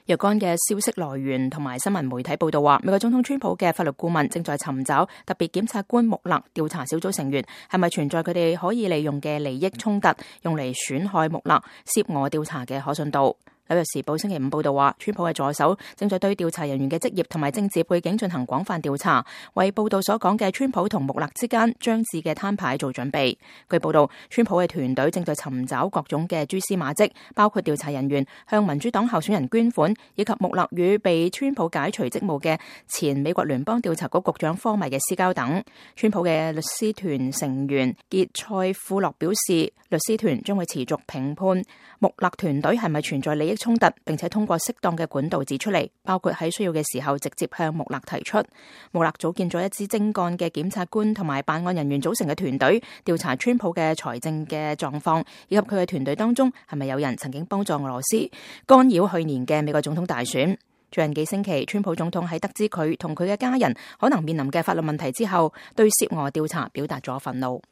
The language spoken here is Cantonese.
若干嘅消息來源同埋新聞媒體報道話，美國總統川普嘅法律顧問正在尋找特別檢察官穆勒調查小組成員係咪存在佢哋可以利用嘅利益衝突，用嚟損害穆勒涉俄調查嘅可信度。紐約時報星期五報道話，川普嘅助手正在對調查人員嘅職業同埋政治背景進行廣泛調查，為報道所講嘅川普同穆勒之間將至嘅攤牌做準備。據報道，川普嘅團隊正在尋找各種嘅蛛絲馬跡，包括調查人員向民主黨候選人捐款，以及穆勒與被川普解除職務嘅前美國聯邦調查局局長科米嘅私交等。川普嘅律師團成員傑塞庫洛表示，律師團將會持續評判穆勒團隊係咪存在利益衝突，並且通過適當嘅管道指出嚟，包括喺需要嘅時候直接向穆勒提出。穆勒組建咗一支精幹嘅檢察官同埋辦案人員組成嘅團隊，調查川普嘅財政嘅狀況，以及佢嘅團隊當中係咪有人曾經幫助俄羅斯干擾去年嘅美國總統大選。最近幾星期，川普總統喺得知佢同佢嘅家人可能面臨嘅法律問題之後，對涉俄調查表達咗憤怒。